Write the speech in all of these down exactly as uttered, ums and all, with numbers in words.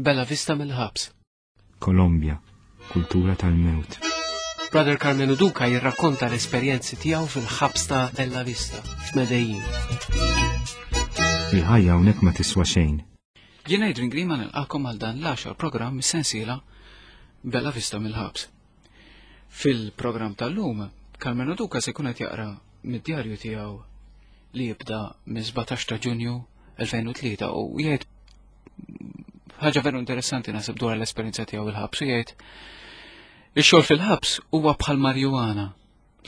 Bella Vista mill-ħabs. Kolombja, kultura tal-mewt. Brother Carmenu Duca jirrakkonta l-esperjenzi tiegħu fil-ħabs ta' Bella Vista f'Medellin. Il-ħajja hawnhekk ma tiswa xejn. Jiena Adrian Grima nilqakom għal dan l-għaxar programm mis-sensiela Bella Vista mill-ħabs. Fil-programm tal-lum, Carmenu Duca se jkun qed jaqra mid-djarju tiegħu li jibda minn sbatax ta' Ġunju elfejn u tlieta u jgħid ħaġa veru interessanti naħseb dwar l-esperjenza tiegħu il-ħabs u jgħid ix-xogħol fil-ħabs huwa bħal marijuana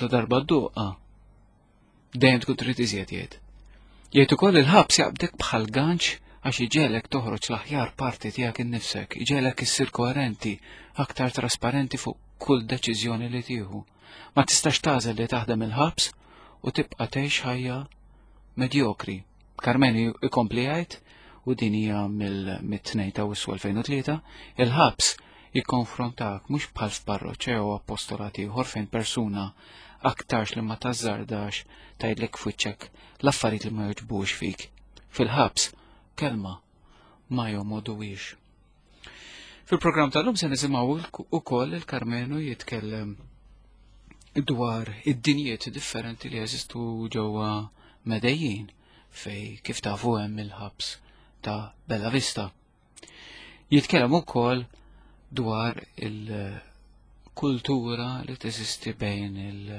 la darba dduqha dejjem tkun trid iżjed jgħid. Jgħid ukoll il-ħabs jaqbdek bħal ganċ għax iġelek toħroġ l-aħjar parti tiegħek innifsek, iġelek issir koerenti, aktar trasparenti fuq kull deċiżjoni li tieħu. Ma tistax tagħżel li taħdem il-ħabs u tibqa' tgħix ħajja medjokri. Carmenu ikompli jgħid, u din hija mill-tnejn ta' Awwissu elfejn u tlieta, il-ħabs jikkonfrontak mhux bħal f'parroċċa jew apostolat ieħor fejn persuna aktarx li ma tażżardax tgħidlek f'wiċċek l-affarijiet li ma jogħġbux fik. Fil-ħabs kelma ma jomoduwix. Fil-programm tal-lum se nisimgħu ukoll il-Carmenu jitkellem dwar id-dinjiet differenti li jeżistu ġewwa Medellin fej kif tafu hemm il-ħabs ta' Bella Vista. Jitkellem ukoll dwar il-kultura li teżisti bejn il-,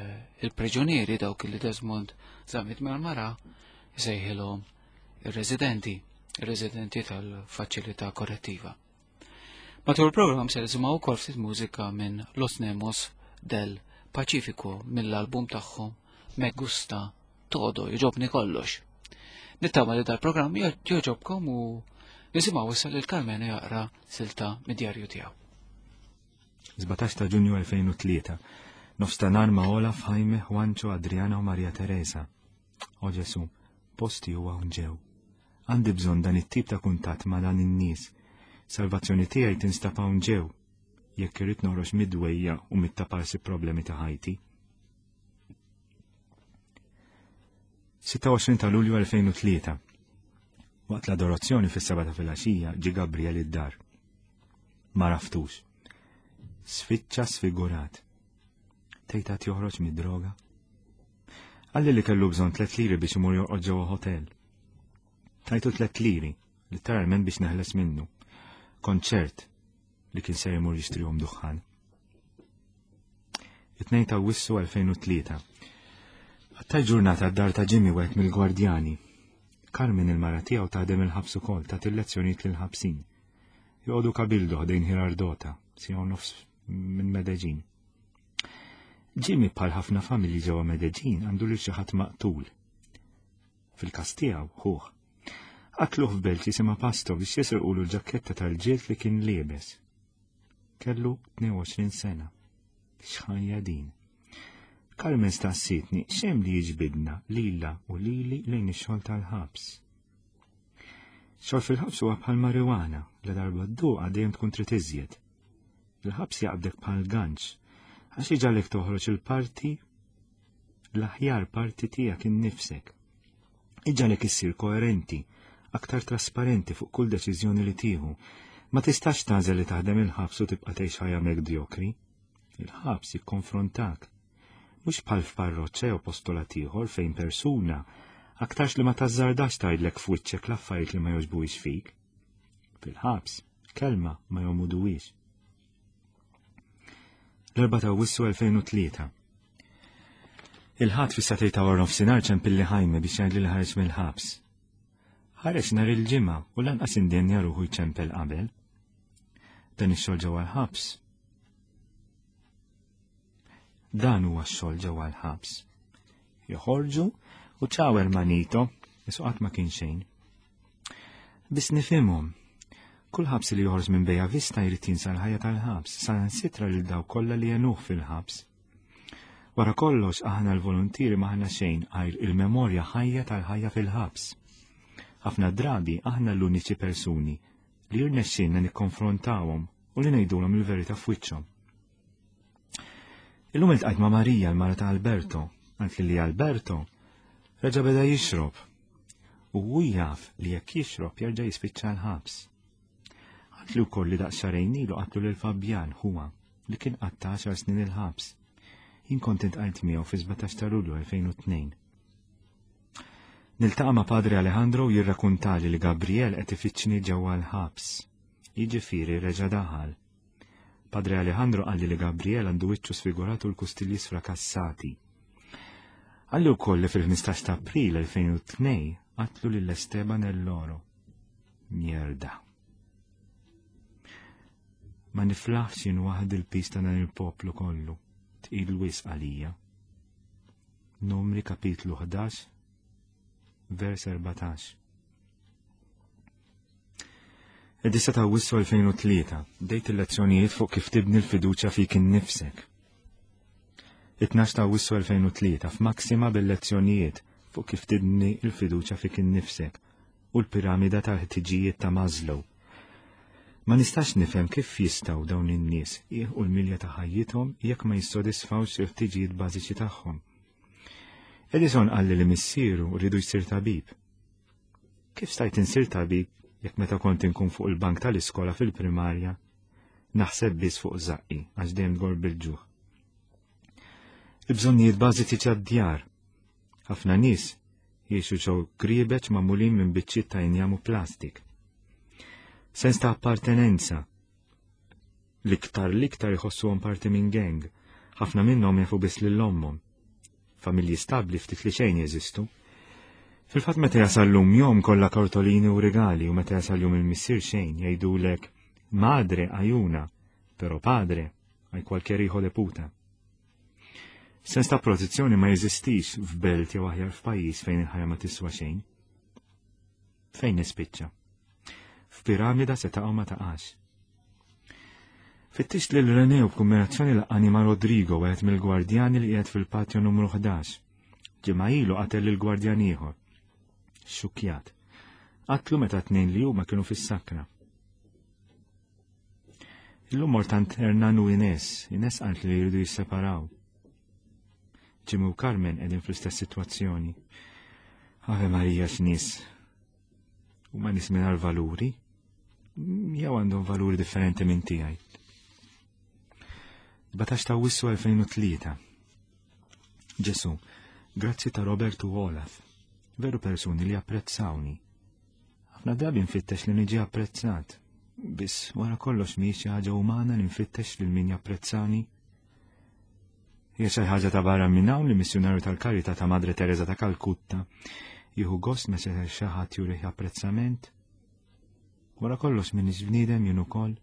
il-priġunieri dawk li Desmond Zammit Marmara jsejħilhom ir-residenti, ir-residenti tal-faċilità korrettiva. Matul il-programm se nisimgħu wkoll ftit mużika minn Los Nemos del Pacifico mill-album tagħhom Me Gusta Todo, jogħġobni kollox. Nittama li dal-programm jogħġobkom u nisimgħu issa lil Carmenu jaqra silta mid-djarju tiegħu. Sbatax ta' Ġunju elfejn u tlieta. Nofs ta' nhar ma' Olaf, Jaime, Juancho, Adriana u Maria Teresa. O Ġesu, posti huwa hawn ġew. Għandi bżonn dan it-tip ta' kuntatt ma' dan in-nies. Salvazzjoni tiegħi tinstab hawn ġew. Jekk irrid noħroġ mid-dwejja u mit-taparsi problemi ta' ħajti. sitta u għoxrin ta' Lulju elfejn u tlieta. Waqt l-adorazzjoni fis-seba ta' filgħaxija ġie Gabriel id-dar. Ma raftux. Sfiċċa sfigurat. Tgħid għad joħroġ mid-droga? Qalli li kellu bżonn tliet liri biex imur jorqod ġewwa hotel. Tajtu tliet liri, literalment biex neħles minnu. Kont ċert li kien ser imur jixtrihom duħħan. It-tnejn ta' Awwissu elfejn u tlieta. Għattaj ġurnata d-dar ta' Jimmy wieħed mill-gwardjani. Carmen il-mara tiegħu taħdem il-ħabs ukoll, tagħti lezzjonijiet lill-ħabsin. Joqogħdu Cabildo ħdejn Girardota, siegħu nofs minn Medellin. Jimmy bħal ħafna familji ġewwa Medellin għandu lil xi ħadd maqtul. Fil-każ tiegħu ħuh. Qatluh f'belt jisimha Pasto biex jisirqulu l-ġaketta tal-ġild li kien liebes. Kellu tnejn u għoxrin sena. X'ħajja din. Carmen staqsitni x'hemm li jiġbidna lila u lili lejn ix-xogħol tal-ħabs. Xogħol fil-ħabs huwa bħal marijuana, la darba dduqa dejjem tkun trid iżjed. Il-ħabs jaqbdek bħal ganċ, għax iġalek toħroġ il-parti, l-aħjar parti tiegħek innifsek. Iġalek issir koerenti, aktar trasparenti fuq kull deċiżjoni li tieħu. Ma tistax tagħżel li taħdem il-ħabs u tibqa' tgħix ħajja medjokri. Il-ħabs jikkonfrontak. Mhux bħal f'parroċċa jew postolat ieħor fejn persuna aktarx li ma tażżardax tgħidlek f'wiċċek l-affarijiet li ma jogħġbuhiex fik. Fil-ħabs, kelma ma jomuduhiex. L-erbgħa ta' Awwissu elfejn u tlieta. Il-ħadd fis-sagħtejn ta' wara nofsinhar ċempilli Jaime biex jgħidli li ħareġ mill-ħabs. Ħareġ nhar il-ġimgħa u lanqas indenja ruħu jċempel qabel. Dan ix-xogħol ġewwa l-ħabs. Dan huwa x-xogħol ġewwa l-ħabs. Joħorġu u ċaw hermanito, isu qatt ma kien xejn. Biss nifhimhom. Kull ħabs li joħroġ minn Bella Vista jrid jinsa l-ħajja tal-ħabs, sa nsitra lil daw kollha li jenuh fil-ħabs. Wara kollox aħna l-volontieri ma aħna xejn għajr il-memorja ħajja tal-ħajja fil-ħabs. Ħafna drabi aħna l-uniċi persuni li jirnexxinna nikkonfrontawhom u li ngħidulhom il-verità f'wiċċhom. Illum iltqajt ma' Marija, l-mara ta' Alberto, għalt li Alberto reġa' beda jixrob. U hu jaf li jekk jixrob jerġa' jispiċċa l-ħabs. Qaltli wkoll li daqs xahrejn ilu qatlu lil Fabjan ħuha li kien qatta' għaxar snin il-ħabs. Jien kont intqajt miegħu fi sbatax ta' Lulju elfejn u tnejn. Niltaqa' ma' Padre Alejandro u jirrakuntali li Gabriel qed ifittxni ġewwa l-ħabs. Jiġifieri reġa' daħal. Padre Alejandro qalli li Gabriel għandu wiċċu sfigurat u l-kustilji sfrakassati. Qalli wkoll li fil-ħmistax ta' April elfejn u tnejn qatlu lil Esteban El Loro. Mierda. Ma niflaħx jien waħdi l-pis ta' dan il-poplu kollu, tqil wisq għalija. Numri kapitlu ħdax, vers erbatax. Id-disa ta' Awwissu elfejn u tlieta, bdejt il-lezzjonijiet fuq kif tibni l-fiduċja fik innifsek. It-tnax ta' Awwissu elfejn u tlieta, f'Maxima bil-lezzjonijiet fuq kif tibni l-fiduċja fik innifsek u l-piramida tal-ħtiġijiet ta' Maslow. Ma nistax nifhem kif jistgħu dawn in-nies jieħu l-milja ta' ħajjithom jekk ma jissodisfawx il-ħtiġijiet bażiċi tagħhom. Edison qalli li missieru rridu jsir tabib. Kif stajt insir tabib jekk meta kont inkun fuq il-bank tal-iskola fil-primarja naħseb biss fuq żaqqi għax dejjem tgor bil-ġuħ. Il-bżonnijiet bażiċi tad-djar. Ħafna nies jgħixu ġew griebeċ magħmulin minn biċċiet ta' injam u plastik. Sens ta' appartenenza. L-iktar l-iktar jħossuhom parti minn gang. Ħafna minnhom jafu biss lil ommhom. Familji stabbli ftit li xejn jeżistu. Fil-fatt meta jasal lum jom kollha kartolini u regali u meta jasal jum il-missier xejn jgħidulek madre ajuna, pero padre hay cualquier hijo de puta. Sens ta' protezzjoni ma jeżistix f'belt jew aħjar f'pajjiż fejn il-ħajja ma tiswa xejn. Fejn nispiċċa? F'piramida se taqa' ma taqax. Fittix lil René u b'kombinazzjoni laqani ma' Rodrigo, wieħed mill-gwardjani li qiegħed fil-patio numru ħdax. Ġimgħa ilu qatel lil gwardjan ieħor. Xukjat. Qatlu meta tnejn li huma kienu fis-sakra. Illum mort għand Hernan u Ines, Ines qalt li jridu jisseparaw. Jimmy u Carmen qegħdin fl-istess sitwazzjoni. Ave Maria x'nies. Huma nies mingħajr valuri, jew għandhom valuri differenti minn tiegħi. Sbatax ta' Awwissu elfejn u tlieta. Ġesu, grazzi ta' Robert u Olaf, veru persuni li apprezzawni. Ħafna drabi nfittex li niġi apprezzat, biss wara kollox mhijiex xi ħaġa umana li nfittex lil min japprezzani. Hija xi ħaġa ta' barra minn hawn li missjunarju tal-Karità ta' Madre Teresa ta' Kalkutta jieħu gost meta xi ħadd jurih apprezzament. Wara kollox m'iniex bniedem jien ukoll.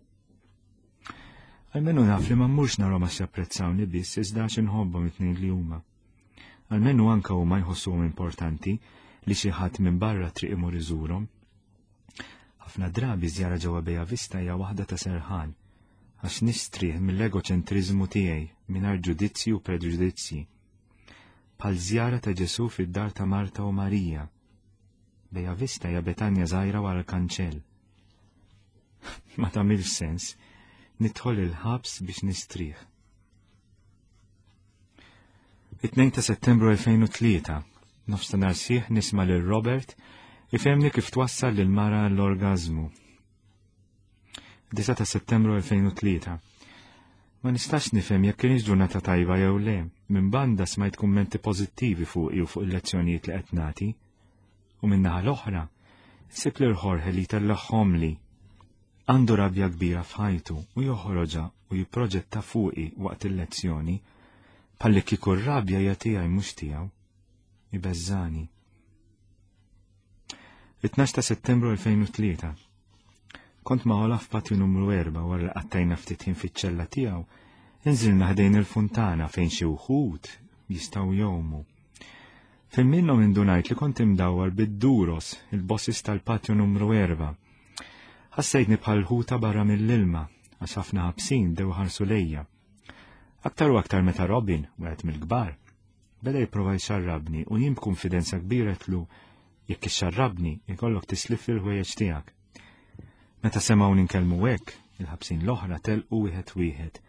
Almenu naf li ma mmurx narhom għax japprezzawni biss iżda għax inħobbhom it-tnejn li huma. Almenu anke huma jħossuhom importanti li xi ħadd minn barra triq imur iżurhom. Ħafna drabi żjara ġewwa Bella Vista hija waħda ta' serħan, għax nistrieħ mill-egoċentriżmu tiegħi mingħajr ġudizzji u preġudizzji. Bħal żjara ta' Ġesu fid-dar ta' Marta u Marija. Bella Vista hija Betanja żgħira wara l-kanċell. Ma tagħmilx sens, nidħol il-ħabs biex nistrieħ. It-tnejn ta' Settembru elfejn u tlieta, nofs ta' nhar sieħ nisma' lil Robert ifhemni kif twassal lil mara l-orgazmu. Disa ta' Settembru elfejn u tlieta. Ma nistax nifhem jekk kienx ġurnata tajba jew le. Minn banda smajt kummenti pożittivi fuqi u fuq il-lezzjonijiet li qed nagħti. U minn naħa l-oħra, sib lil Jorge li tellagħhomli. Għandu rabja kbira f'ħajtu u joħroġha u jipproġetta fuqi waqt il-lezzjoni, bħalli kieku r-rabja hija tiegħi mhux tiegħu. Ibeżżani. It-tnax ta' Settembru elfejn u tlieta. Kont ma' Olaf patju numru erba' wara li qattajna ftit ħin fiċ-ċella tiegħu, inżilna ħdejn il-funtana fejn xi wħud jistgħu jgħumu. Fejn minnhom indunajt li kont imdawwar bid-duros, il-bossis tal-patju numru erba'. Ħassejtni bħal ħuta barra mill-ilma, għax ħafna ħabsin dew ħarsu lejja. Aktar u aktar meta Robin, wieħed mill-kbar, beda jipprova jxarrabni u jien b'kunfidenza kbira tlu jekk ixxarrabni ikollok tislif il-ħwejjeġ tiegħek. Meta semgħu ninkellmu hekk, il-ħabsin l-oħra telqu wieħed wieħed,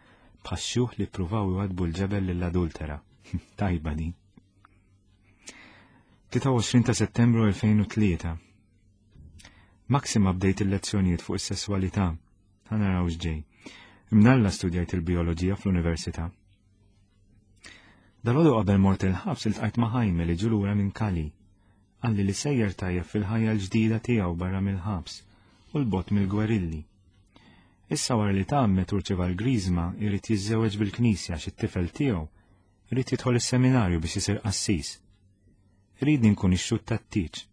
bħax-xjuħ li ppruvaw iwadbu l-ġebel lill-adultera. Tajba din. Tlieta u għoxrin ta' Settembru elfejn u tlieta. Maxima bdejt il-lezzjonijiet fuq is-sesswalità. Ħa naraw x'ġej. Imnalla studjajt il-bioloġija fl-università. Dalgħodu qabel mort il-ħabs iltqajt ma' Jaime li ġie lura minn Cali. Qalli li sejjer tajjeb fil-ħajja l-ġdida tiegħu barra mill-ħabs u l-bogħod mill-gwerilli. Issa wara li tgħammed u rċieva l-griżma jrid jiżżewweġ bil-knisja għax it-tifel tiegħu irid jidħol is-seminarju biex isir qassis. Iridni nkun ix-xhud tat-tieġ.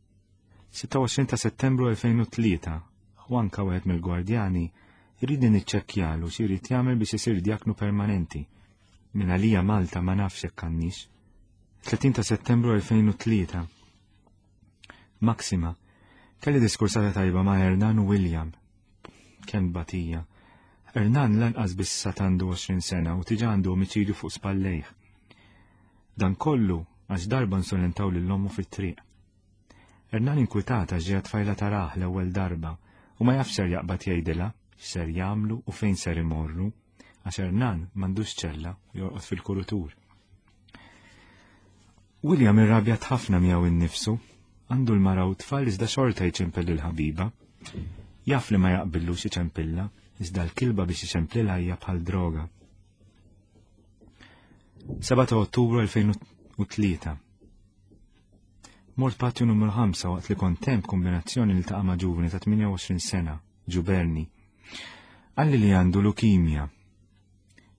sitta u għoxrin ta' Settembru elfejn u tlieta, Juanka wieħed mill-gwardjani iridni niċċekkjalu x'irid jagħmel biex isir djaknu permanenti. Min għalija Malta ma nafx jekk għandniex. tletin ta' Settembru elfejn u tlieta. Maxima, kelli diskursata tajba ma' Hernan u William. Kemm batija. Hernan lanqas biss sat għandu għoxrin sena u tiġa għandu omiċidju fuq spallejh. Dan kollu għax darba nsolentaw lil ommu fit-triq. Hernan inkwitata ġejja tfajla taraħ l-ewwel darba u ma jafx ser jaqbad jgħidilha x'ser jagħmlu u fejn ser imorru, għax Hernan m'għandux ċella u jorqod fil-kurutur. William irrabjat ħafna miegħu innifsu, għandu l-mara u tfal iżda xorta jċempel lill-ħabiba. Jaf li ma jaqbillux iċempilla, iżda l-kilba biex iċemplilha hija bħal droga. Seba' ta' Ottubru elfejn u tlieta. Mort patju numru ħamsa waqt li kont hemm kombinazzjoni li taqa' ma' ġuvni ta' tmienja u għoxrin sena, Ġuberni. Qalli li għandu lukimja.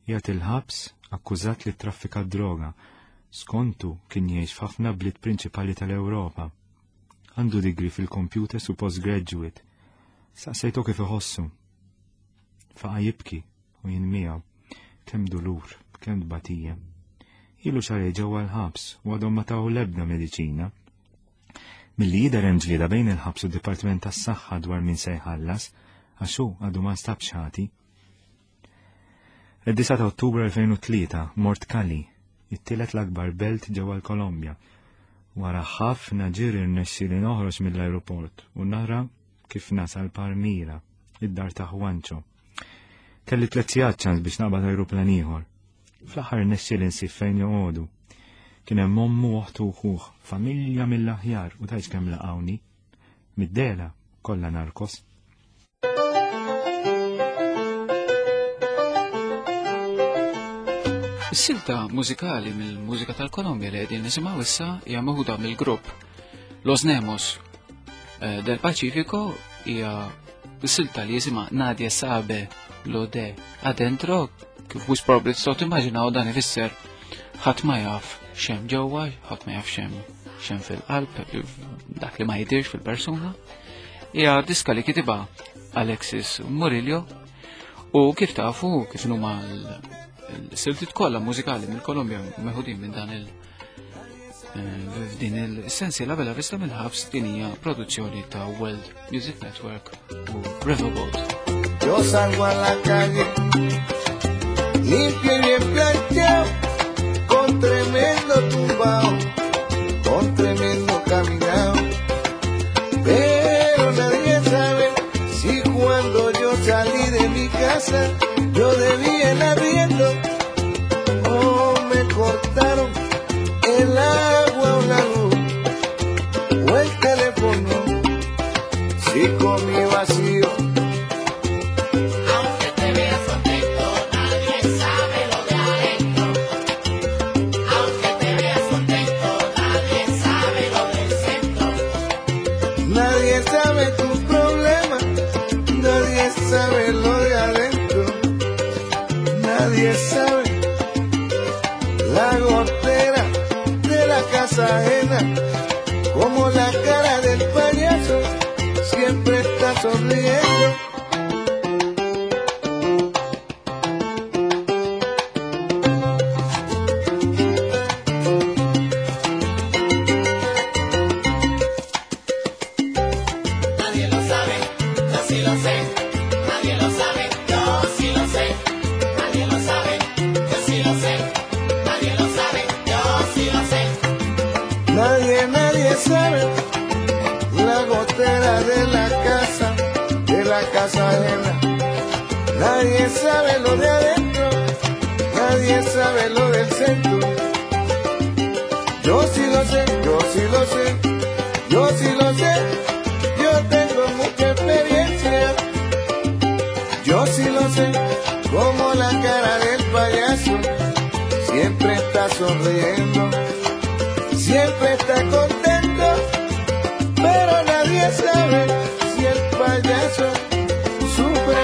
Jgħat il-ħabs akkużat li traffika droga. Skontu kien jgħix f'ħafna bliet prinċipali tal-Ewropa. Għandu digri fil-computers u postgraduate. Saqsejtu kif iħossu. Faqa jibki u jien miegħu. Kemm dulur, kemm tbatija. Ilu xarej ġewwa l-ħabs u għadhom ma taw l-ebda mediċina. Milli jidher hemm ġlieda bejn il-ħabs u d-Dipartiment tas-Saħħa dwar min se jħallas, għax hu għadu ma nstabx ħati. Id-disa ta' Ottubru elfejn u tlieta mort Cali, it-tielet l-akbar belt ġewwa l-Kolombja. Wara ħafna ġiri rnexxieli noħroġ mill-ajruport u nara kif nasal Palmira, id-dar ta' Juancho. Kelli tliet sigħat ċans biex naqbad ajruplan ieħor. Fl-aħħar rnexxieli nsib fejn joqogħdu. Kien hemm ommu oħtu u ħuh, familja mill-aħjar u tgħidx kemm laqgħuni. Mid-dela kollha narkos. Is-silta mużikali mill-mużika tal-Kolombja li qegħdin nisimgħu issa hija meħuda mill-grupp Los Nemos, eh, del Pacifico, hija s-silta li jisimha Nadie Sabe Lo De Adentro, kif wis probabbli tistgħu timmaġinaw dan ifisser ħadd ma jaf x'hemm ġewwa, ħadd ma jaf x'hemm, x'hemm fil-qalb, dak li ma jidirx fil-persuna. Hija diska li kitibha Alexis Murillo u kif tafu kif huma l-siltiet kollha mużikali mill-Kolombja meħudin minn dan il, eh, f'din il-sensiela Bella Vista mill-ħabs, din hija produzzjoni ta' World Music Network u Riverboat. Yo salgo a la calle, limpio y bien planchado, con tremendo tumbao, con tremendo caminao. Pero nadie sabe si cuando yo salí de mi casa, yo debía el arriendo, o me cortaron el agua o la luz, o el teléfono, si comí vacío. Aunque te veas contento, nadie sabe lo de adentro. Aunque te veas contento, nadie sabe lo del centro. Nadie sabe tus problemas, nadie sabe lo de adentro. Nadie sabe la gotera de la casa ajena, como la cara del payaso siempre está sonriendo. Nadie lo sabe, yo sí lo sé. Nadie lo sabe, yo sí lo sé. Nadie lo sabe, yo sí lo sé. Nadie lo sabe, yo sí lo sé. Nadie, nadie sabe la gotera de la casa, de la casa ajena. Nadie sabe lo de adentro, nadie sabe lo del centro. Yo sí lo sé, yo sí lo sé, yo sí lo sé. Yo tengo mucha experiencia. Yo Yo sí lo sé, como la cara del payaso siempre está sonriendo, siempre está contento, pero nadie sabe si el payaso sufre.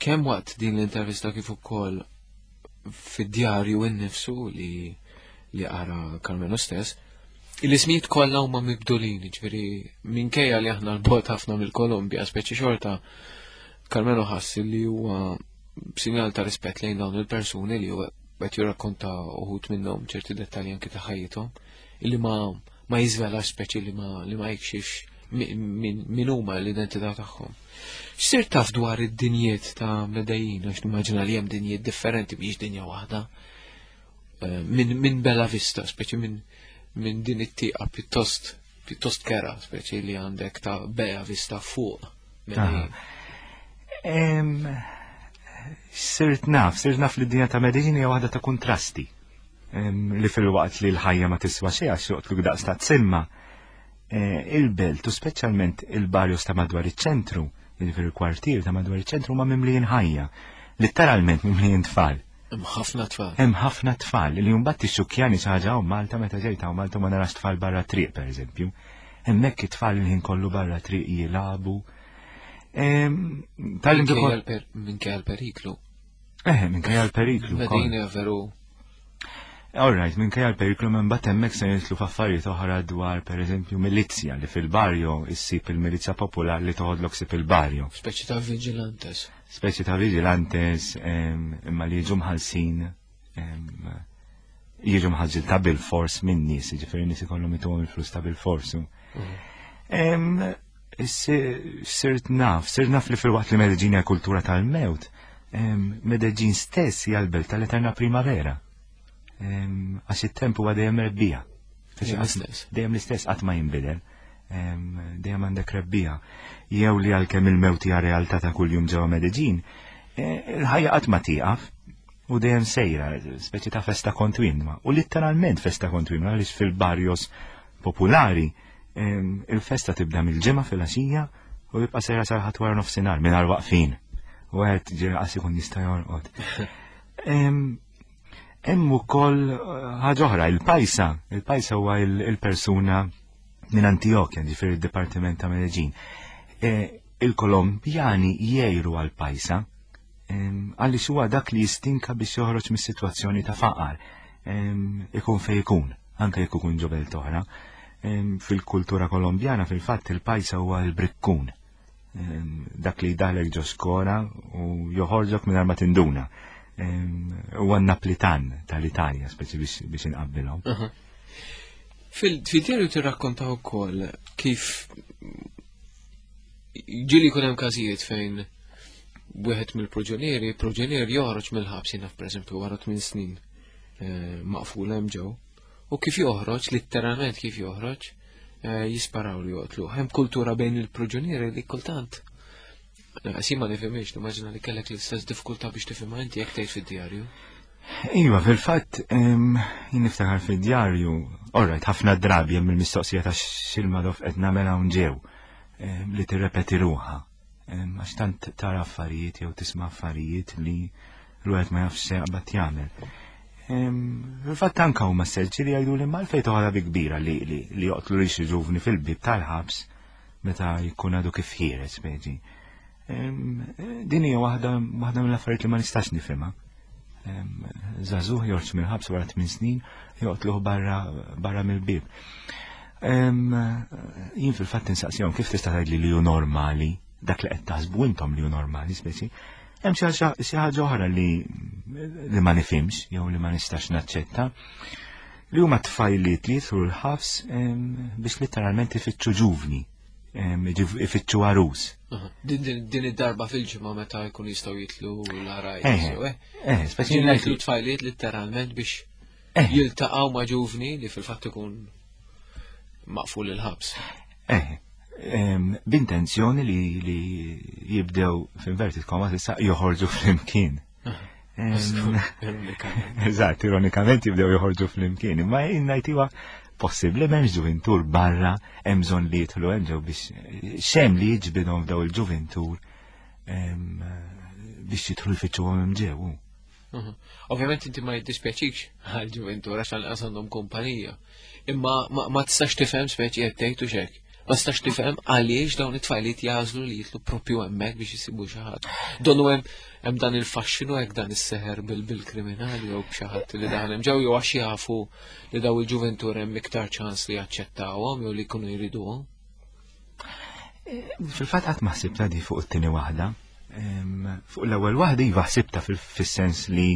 Kemm waqt din l-intervista kif ukoll fid-djarju innifsu li li qara Karmenu stess, l-ismijiet kollha huma mibdulin, jiġifieri minkejja li aħna l-bogħod ħafna mill-Kolombja, speċi xorta Karmenu ħass li huwa sinjal ta' rispett lejn dawn il-persuni li huwa qed jirrakkonta uħud minnhom ċerti dettalji anke ta' ħajjithom, illi ma ma jiżvelax speċi li ma li ma jikxifx min huma l-identità tagħhom. X'sir taf dwar id-dinjiet ta' Medellin, għax nimmaġina li hemm dinjiet differenti mhix dinja waħda. Minn min Bella Vista, speċi minn min din it-tieqa pjuttost pjuttost kera, speċi li għandek ta' Bella Vista fuq Medellin. Sirt naf, sirt naf li d-dinja ta' Medellin hija waħda ta' kontrasti. Li fil-waqt li l-ħajja ma tiswa xejn għax joqtluk daqs ta' tsimma. Il-belt u speċjalment il-barrios ta' madwar iċ-ċentru, jiġifieri il-kwartier ta' madwar iċ-ċentru ma mimlijin ħajja, litteralment mimlijin tfal. Hemm ħafna tfal. Hemm ħafna tfal li mbagħad tixxukkjani xi ħaġa hawn Malta meta ġejt hawn Malta ma narax tfal barra triq pereżempju. Hemmhekk it-tfal il-ħin kollu barra triq jilagħbu. Minkejja l-periklu. Eh, minkejja l-periklu. Medina veru. All right, minkejja l-periklu minn bat hemmhekk se nitlu f'affarijiet oħra dwar pereżempju milizja li fil-barrio issib il-milizja popolari li toħodlok sib il-barrio. Speċi ta' vigilantes. Speċi ta' vigilantes imma li jiġu mħallsin jiġu mħallsin ta' bil-fors minn nies, jiġifieri nies ikollhom ituhom il-flus ta' bil-fors. Sirt naf, sirt naf li fil-waqt li Medellin hija kultura tal-mewt, Medellin stess hija l-belt tal-eterna primavera. Għax it-temp huwa dejjem rebbija. Dejjem l-istess qatt ma jinbidel. Dejjem għandek rebbija. Jew li għalkemm il-mewt hija realtà ta' kuljum ġewwa Medellin, il-ħajja qatt ma tieqaf u dejjem sejra, speċi ta' festa kontinwa. U litteralment festa kontinwa għaliex fil-barrios popolari il-festa tibda mill-ġimgħa fil-għaxija u jibqa' sejra sal-ħadd wara nofsinhar mingħajr waqfin. U qed ġieli qas ikun jista' jorqod. Hemm ukoll ħaġa oħra, il-pajsa. Il-pajsa huwa il-persuna minn Antioquia, ġifieri id-Dipartiment ta' Medellin. Il-Kolombjani jgħiru għal-pajsa għaliex huwa dak li jistinka biex joħroġ mis-sitwazzjoni ta' faqar. Ikun fejn ikun, anke jekk ikun ġo belt oħra. Fil-kultura kolombjana fil-fatt il-pajsa huwa l-brikkun. Dak li jdaħlek ġo skora u joħorġok mingħajr ma tinduna. Huwa n-Naplitan tal-Italja, speċi biex inqabbilhom. Fil-djarju tirrakkonta wkoll kif ġieli jkun hemm każijiet fejn wieħed mill-proġenieri, proġenier joħroġ mill-ħabs jiena pereżempju wara tmien snin maqful hemm ġew, u kif joħroġ, litteralment kif joħroġ, jisparaw li joqtlu. Hemm kultura bejn il-proġenieri li kultant Għax ma nifhimx, nimmaġina li kellek l-istess diffikultà biex tifhimha inti jekk tgħid fid-djarju. Iva, fil-fatt, jien niftakar fid-djarju, all right, ħafna drabi hemm il-mistoqsija ta' x'il-madof qed nagħmel hawn ġew li tirrepeti ruħha. Għax tant tara affarijiet jew tisma' affarijiet li l-wieħed ma jafx se jaqbad jagħmel. Fil-fatt anke huma selċi li jgħidu li mal fejn toħodha bi kbira li li joqtlu lil xi ġuvni fil-bieb tal-ħabs meta jkun għadu kif ħiereġ speċi. Din hija waħda waħda mill-affarijiet li ma nistax nifhimha. Żagħżugħ joħroġ mill-ħabs wara tmien snin joqtluh barra barra mill-bieb. Jien fil-fatt insaqsihom kif tista' tgħidli li hu normali, dak li qed taħsbu intom li hu normali speċi. Hemm xi ħaġa oħra li li ma nifhimx jew li ma nistax naċċetta, li huma tfajliet li jidħlu l-ħabs biex letteralment ifittxu ġuvni, ifittxu għarus. Din id-darba fil-ġimgħa meta jkun jistgħu jitlu l-għarajs. Eh, eh, speċi jitlu tfajliet letteralment biex jiltaqgħu ma' ġuvni li fil-fatt ikun maqful il-ħabs. Eh, b'intenzjoni li li jibdew f'inverted commas issa joħorġu flimkien. Eżatt, ironikament jibdew joħorġu flimkien, imma jien ngħid iwa possibbli m'hemmx ġuvintur barra hemm bżonn li jidħlu hemm ġew biex xem li jiġbidhom f'daw il-ġuvintur biex jidħlu jfittxuhom hemm ġew. Ovvjament inti ma jiddispjaċikx għall-ġuvintur għax lanqas għandhom kumpanija. Imma ma tistax tifhem speċi qed tgħid u x'hekk. Ma tistax tifhem għaliex dawn it-tfajliet jażlu li jitlu propju hemmhekk biex isibu xi ħadd. Donnu hemm hemm dan il-faxxinu hekk dan is-seħer bil-kriminali jew b'xi ħadd li daħal hemm ġew jew għax jafu li daw il-ġuventur hemm iktar ċans li jaċċettawhom jew li jkunu jriduhom. Fil-fatt qatt ma ħsibta di fuq it-tieni waħda. Fuq l-ewwel waħda iva ħsibta fis-sens li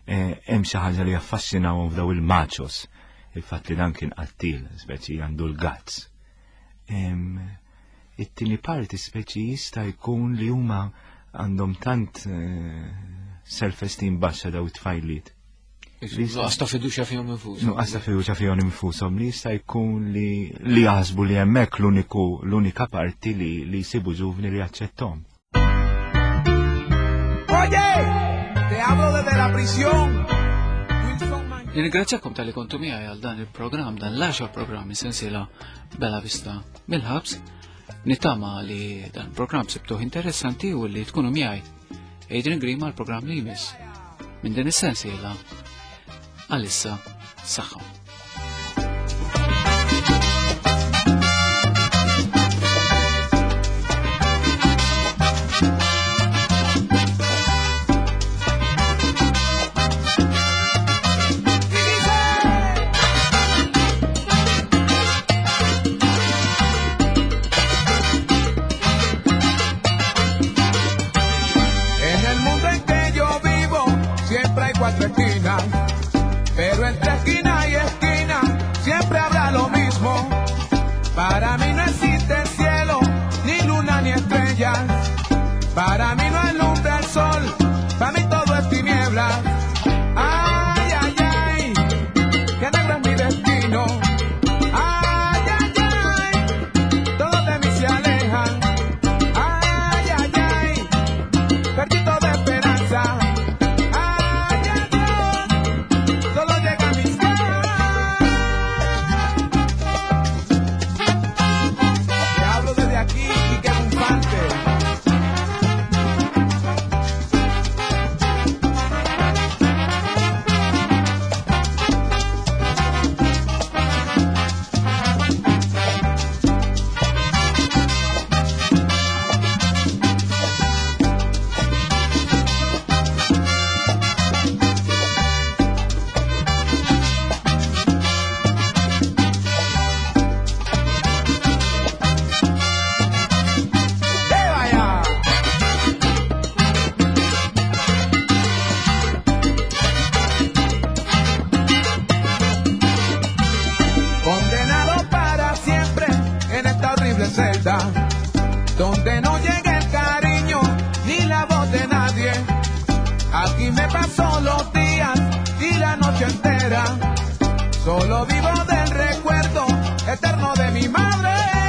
hemm xi ħaġa li jaffaxxinawhom f'daw il-machos. Il-fatt li dan kien qattil, speċi għandu l-guts. It-tieni parti speċi jista' jkun li huma għandhom tant self-esteem baxxa daw it-tfajliet. Nuqqas ta' fiduċja fihom infushom. Nuqqas ta' fiduċja fihom infushom li jista' jkun li li jaħsbu li hemmhekk l-uniku l-unika parti li li jsibu ġuvni li jaċċetthom. Oye, te hablo desde la prisión. Nirringrazzjakom tal-li kontu miegħi għal dan il-programm, dan l-għaxar programm sensiela Bella Vista mill-ħabs. Nittama li dan il-programm sibtuh interessanti u li tkunu miegħi. Adrian Grima l-programm li jmiss. Minn din is-sensiela għalissa saħħa. Pero entre esquina y esquina siempre habrá lo mismo. Para mí no existe cielo, ni luna ni estrellas. Para mí no alumbra el sol, para mí todo es tiniebla. Ay, ay, ay, qué negro es mi destino. Ay, ay, ay, todos de mí se alejan. Ay, ay, ay, perdí toda esperanza. Donde no llega el cariño ni la voz de nadie. Aquí me paso los días y la noche entera. Solo vivo del recuerdo eterno de mi madre.